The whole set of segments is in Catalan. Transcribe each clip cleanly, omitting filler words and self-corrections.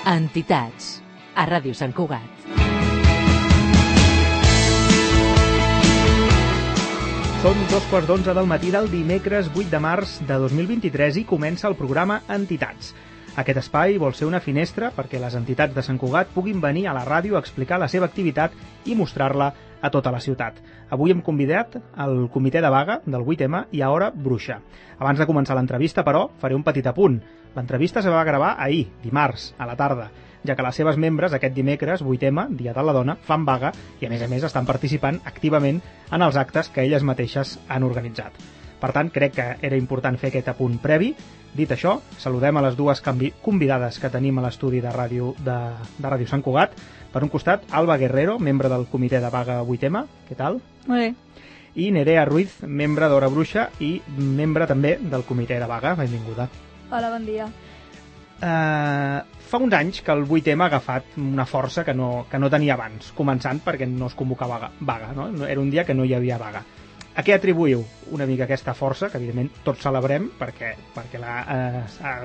Entitats, a Ràdio Sant Cugat. Són 2:15 del matí del dimecres 8 de març de 2023 i comença el programa Entitats. Aquest espai vol ser una finestra perquè les entitats de Sant Cugat puguin venir a la ràdio a explicar la seva activitat i mostrar-la a tota la ciutat. Avui hem convidat el comitè de vaga del 8M i a Hora Bruixa. Abans de començar l'entrevista, però, faré un petit apunt. L'entrevista se va gravar ahir, dimarts, a la tarda, ja que les seves membres aquest dimecres, 8M, Dia de la Dona, fan vaga i, a més, estan participant activament en els actes que elles mateixes han organitzat. Per tant, crec que era important fer aquest apunt previ. Dit això, saludem a les dues convidades que tenim a l'estudi de ràdio de Ràdio Sant Cugat. Per un costat, Alba Guerrero, membre del comitè de vaga 8M. Què tal? Molt bé. I Nerea Ruiz, membre d'Hora Bruixa i membre també del comitè de vaga. Benvinguda. Hola, bon dia. Fa uns anys que el 8M ha agafat una força que no tenia abans, començant perquè no es convocava vaga, no? Era un dia que no hi havia vaga. A què atribuïu una mica aquesta força, que evidentment tots celebrem, perquè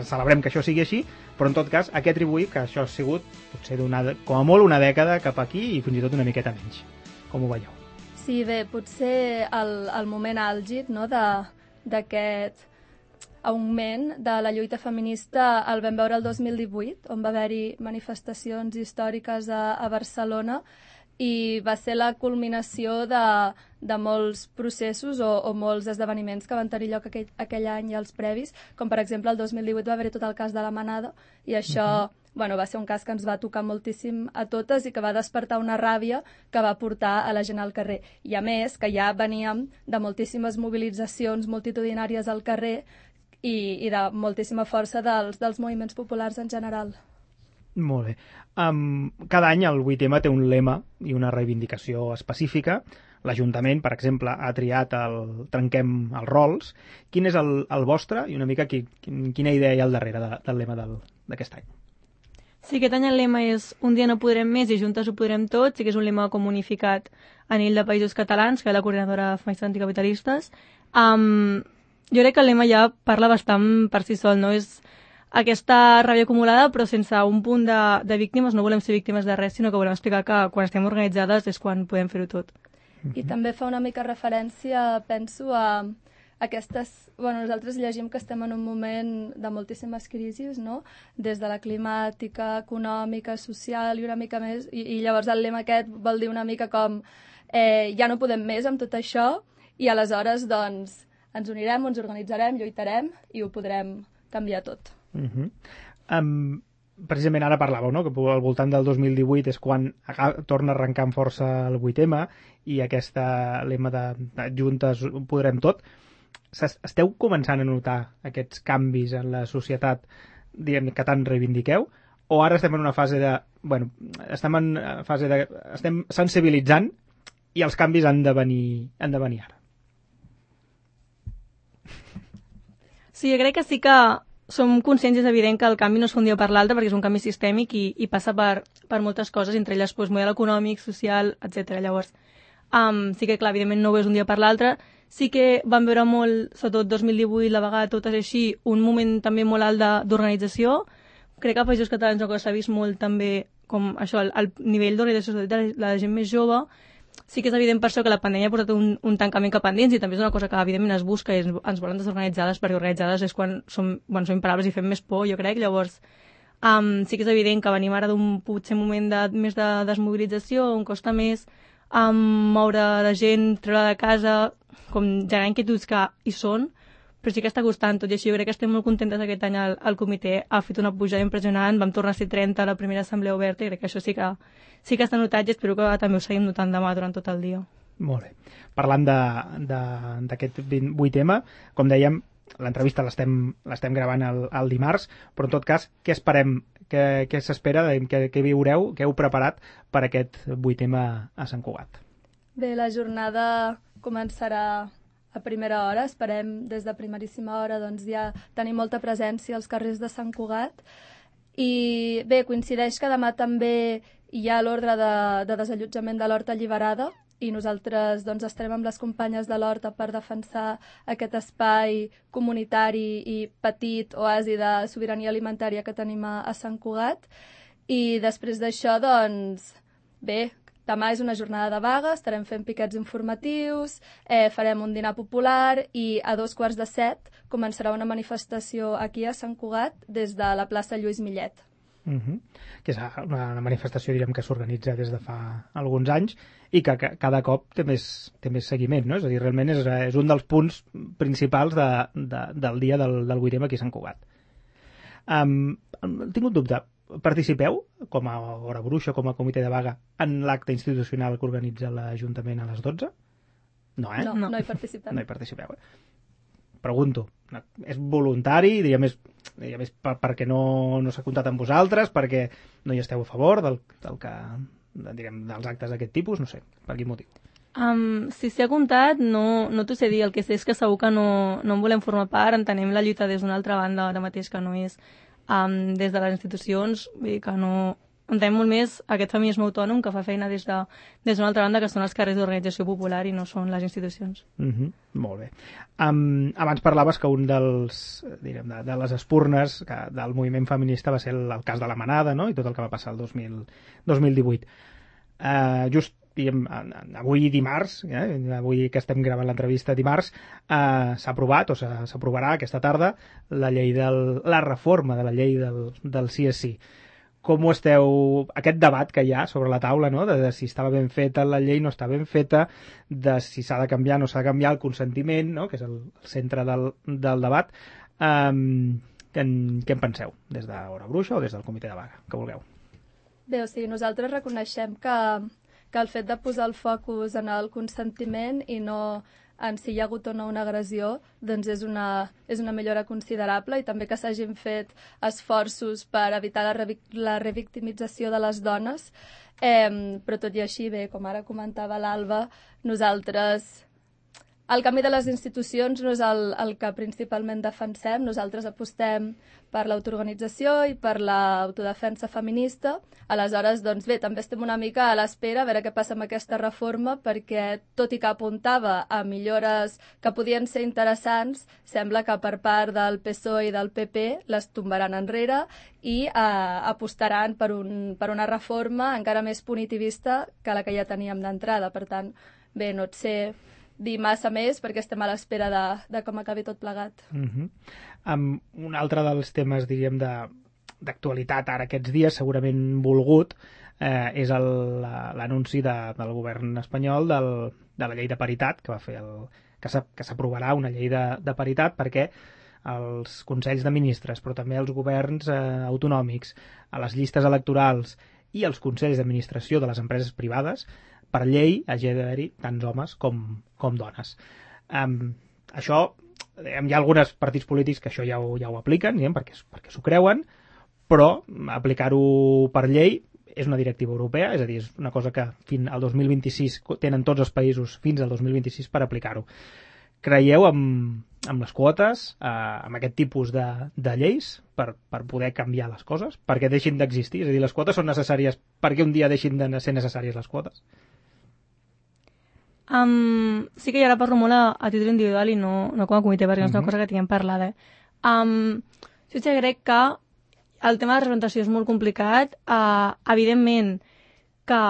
celebrem que això sigui així, però en tot cas, a què atribuïu que això ha sigut, potser com a molt una dècada cap aquí i fins i tot una miqueta menys? Com ho veieu? Sí, bé, potser el moment àlgid, no, d'aquest augment de la lluita feminista el vam veure el 2018, on va haver-hi manifestacions històriques a Barcelona, i va ser la culminació de molts processos o molts esdeveniments que van tenir lloc aquell any i els previs, com per exemple el 2018 va haver-hi tot el cas de la Manada, i això va ser un cas que ens va tocar moltíssim a totes i que va despertar una ràbia que va portar a la gent al carrer. I a més, que ja veníem de moltíssimes mobilitzacions multitudinàries al carrer i de moltíssima força dels moviments populars en general. Molt bé. Cada any el 8M té un lema i una reivindicació específica. L'Ajuntament, per exemple, ha triat el Trenquem els rols. Quin és el vostre i una mica quina idea hi ha al darrere del lema d'aquest any? Sí, aquest any el lema és Un dia no podrem més i juntes ho podrem tot. Sí que és un lema com unificat a nivell de països catalans, que és la coordinadora feminista anticapitalistes. Jo crec que el lema ja parla bastant per si sol, no? És aquesta ràbia acumulada, però sense un punt de víctimes. No volem ser víctimes de res, sinó que volem explicar que quan estem organitzades és quan podem fer-ho tot. I també fa una mica referència, penso, a aquestes... nosaltres llegim que estem en un moment de moltíssimes crisis, no? Des de la climàtica, econòmica, social i una mica més. I llavors el lema aquest vol dir una mica com ja no podem més amb tot això i aleshores, doncs, ens unirem, ens organitzarem, lluitarem i ho podrem canviar tot. Precisament ara parlàveu, no?, que al voltant del 2018 és quan torna a arrencar amb força el 8M i aquesta lema de juntes ho podrem tot. Esteu començant a notar aquests canvis en la societat, diguem, que tant reivindiqueu, o ara estem en una fase estem sensibilitzant i els canvis han de venir ara? Sí, jo crec que sí que som conscients, és evident que el canvi no es fa un dia per l'altre perquè és un canvi sistèmic i passa per moltes coses, entre elles model econòmic, social, etc. Llavors, sí que, clar, evidentment no ho és un dia per l'altre. Sí que vam veure molt, sobretot 2018, la vegada totes així, un moment també molt alt d'organització. Crec que a països catalans s'ha vist molt també com això, el nivell d'organització de la gent més jove. Sí que és evident per això que la pandèmia ha portat un tancament cap endins i també és una cosa que evidentment es busca i ens volen desorganitzades, perquè organitzades és quan som imparables i fem més por, jo crec. Llavors sí que és evident que venim ara d'un potser moment més de desmobilització, on costa més moure la gent, treure de casa, com generar inquietuds que hi són, però sí que està costant tot i així. Jo crec que estem molt contentes aquest any. El comitè ha fet una pujada impressionant, vam tornar a ser 30 a la primera assemblea oberta i crec que això sí que està notat i espero que també ho seguim notant demà durant tot el dia. Molt bé. Parlant d'aquest 8M, com dèiem, l'entrevista l'estem gravant el dimarts, però en tot cas, què esperem? Què s'espera? Què viureu? Què heu preparat per aquest 8M a Sant Cugat? Bé, la jornada començarà a primera hora, esperem des de primeríssima hora doncs ja tenir molta presència als carrers de Sant Cugat. I bé, coincideix que demà també hi ha l'ordre de desallotjament de l'Horta Alliberada i nosaltres doncs, estarem amb les companyes de l'Horta per defensar aquest espai comunitari i petit oasi de sobirania alimentària que tenim a Sant Cugat. I després d'això, doncs, bé, demà és una jornada de vaga, estarem fent piquets informatius, farem un dinar popular i a 6:45 començarà una manifestació aquí a Sant Cugat des de la plaça Lluís Millet. Que és una manifestació, direm, que s'organitza des de fa alguns anys i que cada cop té més seguiment, no? És a dir, realment és un dels punts principals del dia del 8M aquí a Sant Cugat. Tinc un dubte. Participeu, com a Hora Bruixa, com a comitè de vaga, en l'acte institucional que organitza l'Ajuntament a les 12? No, eh? No hi participem. No hi participeu, Pregunto. És voluntari, diria més perquè no s'ha comptat amb vosaltres, perquè no hi esteu a favor dels actes d'aquest tipus, no sé, per quin motiu? Si s'hi ha comptat, no t'ho sé dir. El que sé és que segur que no en volem formar part, entenem la lluita des d'una altra banda, ara mateix que no és des de les institucions, vull dir que no... Entenem molt més aquest feminisme autònom que fa feina des d'una altra banda, que són els carrers d'organització popular i no són les institucions. Molt bé. Abans parlaves que un dels, de les espurnes del moviment feminista va ser el cas de la Manada, no? I tot el que va passar el 2018. Just avui dimarts, avui que estem gravant l'entrevista dimarts, s'ha aprovat o s'aprovarà aquesta tarda la reforma de la llei del sí és sí. Com ho esteu... Aquest debat que hi ha sobre la taula, no?, de si estava ben feta la llei, no està ben feta, de si s'ha de canviar, no s'ha de canviar, el consentiment, no?, que és el centre del debat. Què en penseu? Des d'Hora Bruixa o des del comitè de vaga? Que vulgueu. Bé, o sigui, nosaltres reconeixem que el fet de posar el focus en el consentiment i no en si hi ha hagut o no una agressió, doncs és una millora considerable, i també que s'hagin fet esforços per evitar la revictimització de les dones, però tot i així, bé, com ara comentava l'Alba, nosaltres... El canvi de les institucions no és el que principalment defensem. Nosaltres apostem per l'autoorganització i per l'autodefensa feminista. Aleshores, doncs bé, també estem una mica a l'espera a veure què passa amb aquesta reforma, perquè, tot i que apuntava a millores que podien ser interessants, sembla que per part del PSOE i del PP les tombaran enrere i apostaran per una reforma encara més punitivista que la que ja teníem d'entrada. Per tant, bé, no et sé dir massa més perquè estem a l'espera de com acabi tot plegat. Un altre dels temes, diríem, d'actualitat ara aquests dies, segurament volgut, és l'anunci del govern espanyol de la llei de paritat, que va fer que s'aprovarà una llei de paritat perquè els consells de ministres, però també els governs autonòmics, a les llistes electorals i els consells d'administració de les empreses privades, per llei hagi d'haver-hi tants homes com dones. Això, hi ha alguns partits polítics que això ja ho apliquen, perquè s'ho creuen, però aplicar-ho per llei és una directiva europea, és a dir, és una cosa que fins al 2026 tenen tots els països fins al 2026 per aplicar-ho. Creieu amb les quotes, amb aquest tipus de lleis, per poder canviar les coses, perquè deixin d'existir? És a dir, les quotes són necessàries perquè un dia deixin de ser necessàries les quotes? Sí que jo ara parlo molt a títol individual i no com a comitè, perquè no és una cosa que tinguem parlada. Jo crec que el tema de representació és molt complicat. Evidentment que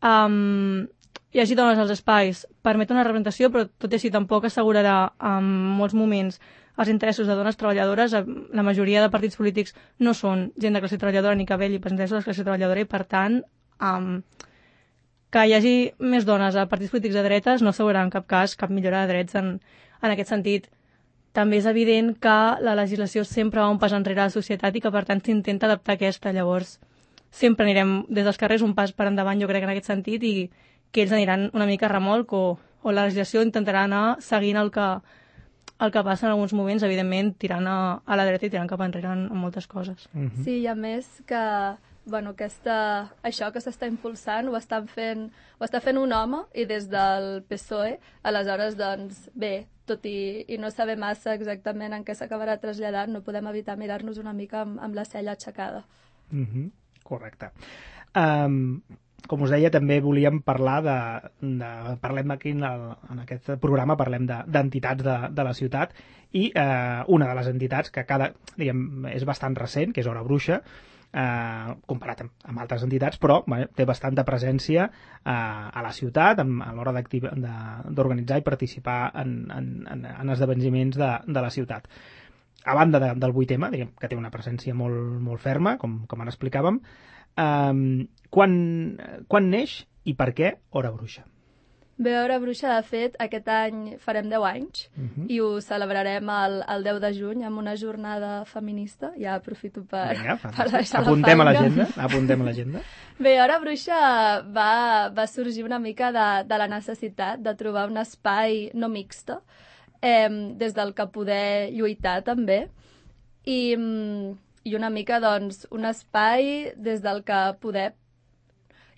hi hagi dones als espais permet una representació, però tot i així tampoc assegurarà en molts moments els interessos de dones treballadores. La majoria de partits polítics no són gent de classe treballadora ni que velli pels interessos de la classe treballadora, i per tant que hi hagi més dones a partits polítics de dretes no assegurarà en cap cas cap millora de drets en aquest sentit. També és evident que la legislació sempre va un pas enrere a la societat i que per tant s'intenta adaptar a aquesta. Llavors sempre anirem des dels carrers un pas per endavant, jo crec, en aquest sentit, i que ells aniran una mica a remolc o la legislació intentarà anar seguint el que passa en alguns moments, evidentment tirant a la dreta i tirant cap enrere en moltes coses. Sí, i a més que això que s'està impulsant ho està fent un home, i des del PSOE. Aleshores, doncs, bé, tot i no saber massa exactament en què s'acabarà traslladant, no podem evitar mirar-nos una mica amb la cella aixecada. Correcte. Com us deia, també volíem parlar parlem aquí en aquest programa, parlem d'entitats de la ciutat, i una de les entitats que és bastant recent, que és Hora Bruixa, comparat amb altres entitats, però té bastanta presència a la ciutat a l'hora d'organitzar i participar en esdeveniments de la ciutat. A banda del 8M, diguem, que té una presència molt, molt ferma, com ara explicàvem, quan neix i per què Hora Bruixa? Bé, Hora Bruixa, de fet, aquest any farem 10 anys i ho celebrarem el 10 de juny amb una jornada feminista. Ja aprofito per deixar apuntem a l'agenda. Bé, Hora Bruixa va sorgir una mica de la necessitat de trobar un espai no mixte des del que poder lluitar també i una mica doncs un espai des del que poder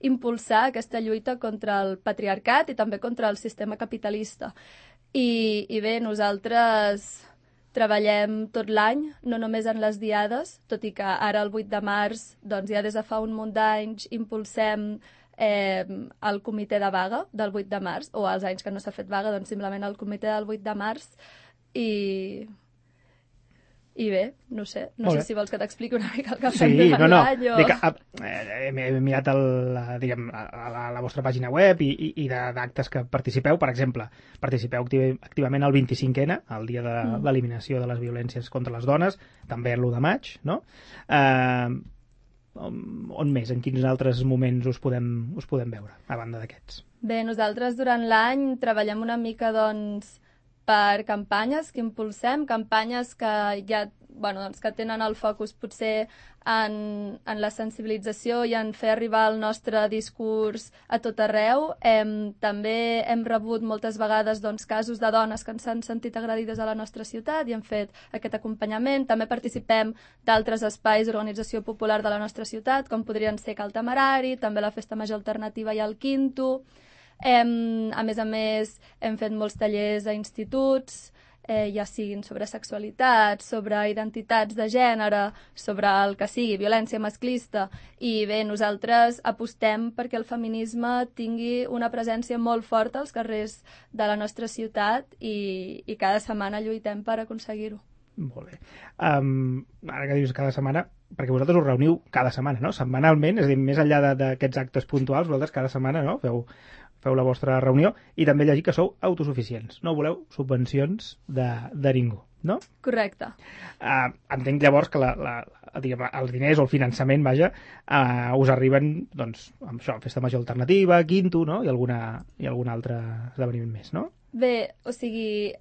impulsar aquesta lluita contra el patriarcat i també contra el sistema capitalista. I bé, nosaltres treballem tot l'any, no només en les diades, tot i que ara el 8 de març, doncs ja des de fa un munt d'anys, impulsem el comitè de vaga del 8 de març, o els anys que no s'ha fet vaga, doncs simplement el comitè del 8 de març, i bé, no sé si vols que t'expliqui una mica el que fem durant l'any o... He mirat la vostra pàgina web i d'actes que participeu. Per exemple, participeu activament al 25N, el dia de l'eliminació de les violències contra les dones, també l'1 de maig, no? On més? En quins altres moments us podem veure, a banda d'aquests? Bé, nosaltres durant l'any treballem una mica, doncs, per campanyes que impulsem, campanyes que ja que tenen el focus potser en la sensibilització i en fer arribar el nostre discurs a tot arreu. També hem rebut moltes vegades casos de dones que ens han sentit agredides a la nostra ciutat i hem fet aquest acompanyament. També participem d'altres espais d'organització popular de la nostra ciutat, com podrien ser Cal Temerari, també la Festa Major Alternativa i el Quinto. A més, hem fet molts tallers a instituts, ja siguin sobre sexualitat, sobre identitats de gènere, sobre el que sigui, violència masclista. I bé, nosaltres apostem perquè el feminisme tingui una presència molt forta als carrers de la nostra ciutat i cada setmana lluitem per aconseguir-ho. Molt bé. Ara que dius cada setmana, perquè vosaltres us reuniu cada setmana, no? Setmanalment, és a dir, més enllà d'aquests actes puntuals, vosaltres cada setmana, no? Feu la vostra reunió i també llegir que sou autosuficients. No voleu subvencions de ningú, no? Correcte. Entenc llavors que els diners o el finançament, us arriben, doncs, amb això, Festa Major Alternativa, Quinto, no? I algun altre esdeveniment més, no? Bé, o sigui,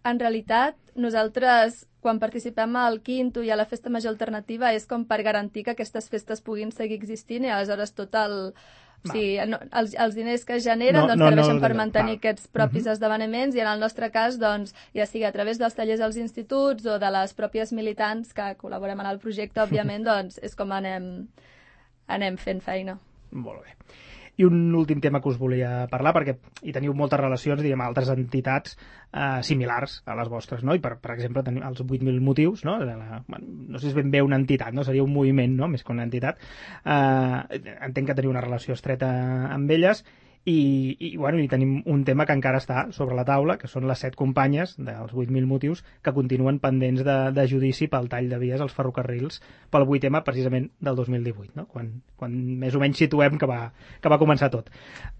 en realitat, nosaltres, quan participem al Quinto i a la Festa Major Alternativa, és com per garantir que aquestes festes puguin seguir existint i aleshores tot el... O sigui, els diners que es generen serveixen per mantenir aquests propis esdeveniments i en el nostre cas, doncs, ja sigui a través dels tallers als instituts o de les pròpies militants que col·laborem en el projecte, òbviament, doncs és com anem fent feina. Molt bé. I un últim tema que us volia parlar, perquè hi teniu moltes relacions, diguem, altres entitats similars a les vostres, no? I per exemple, tenim els 8.000 motius, no? No sé si és ben bé una entitat, no? Seria un moviment, no? Més que una entitat. Entenc que teniu una relació estreta amb elles i tenim un tema que encara està sobre la taula, que són les 7 companyes dels 8.000 motius que continuen pendents de judici pel tall de vies als ferrocarrils pel 8M precisament del 2018, no? Quan més o menys situem que va començar tot.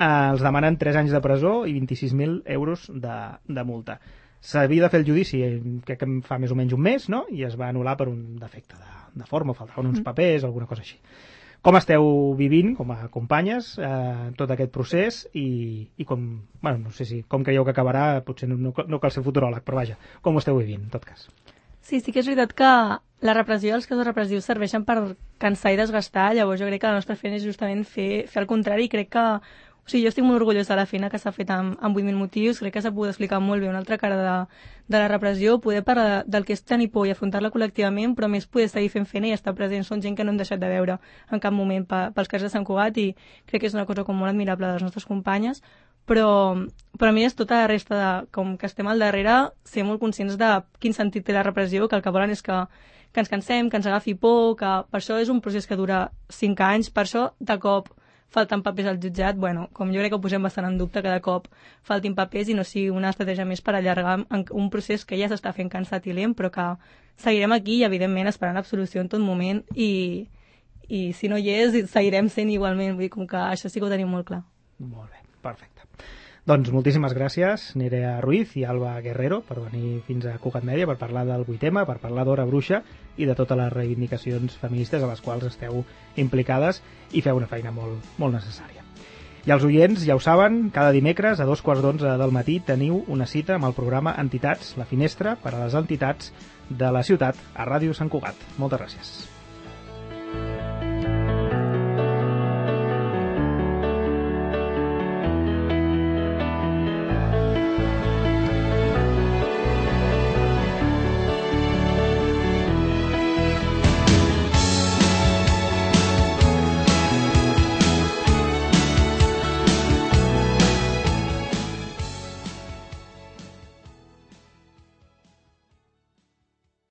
Els demanen 3 anys de presó i 26.000 euros de multa. S'havia de fer el judici, crec que fa més o menys un mes, no? I es va anul·lar per un defecte de forma, faltaven uns papers, alguna cosa així. Com esteu vivint, com a companyes, tot aquest procés i com, no sé si com creieu que acabarà, potser no cal ser futuròleg, però vaja, com ho esteu vivint, en tot cas? Sí que és veritat que la repressió, els casos repressius serveixen per cansar i desgastar, llavors jo crec que la nostra feina és justament fer el contrari i crec que jo estic molt orgullosa de la feina que s'ha fet amb 8.000 motius, crec que s'ha pogut explicar molt bé una altra cara de la repressió, poder parlar del que és tenir por i afrontar-la col·lectivament, però més poder seguir fent feina i estar presents. Són gent que no hem deixat de veure en cap moment pels carrers de Sant Cugat i crec que és una cosa com molt admirable de les nostres companyes, però a mi és tota la resta com que estem al darrere, ser molt conscients de quin sentit té la repressió, que el que volen és que ens cansem, que ens agafi por, que per això és un procés que dura 5 anys, per això de cop falten papers al jutjat, com jo crec que ho posem bastant en dubte, cada cop faltin papers i no sigui una estratègia més per allargar un procés que ja s'està fent cansat i lent, però que seguirem aquí i, evidentment, esperant l'absolució en tot moment i i si no hi és, seguirem sent igualment. Vull dir, com que això sí que ho tenim molt clar. Molt bé, perfecte. Doncs moltíssimes gràcies, Nerea Ruiz i Alba Guerrero, per venir fins a Cugat Mèdia per parlar del 8M, per parlar d'Hora Bruixa i de totes les reivindicacions feministes a les quals esteu implicades i feu una feina molt, molt necessària. I els oients ja ho saben, cada dimecres a 2:15 del matí teniu una cita amb el programa Entitats, la finestra per a les entitats de la ciutat a Ràdio Sant Cugat. Moltes gràcies.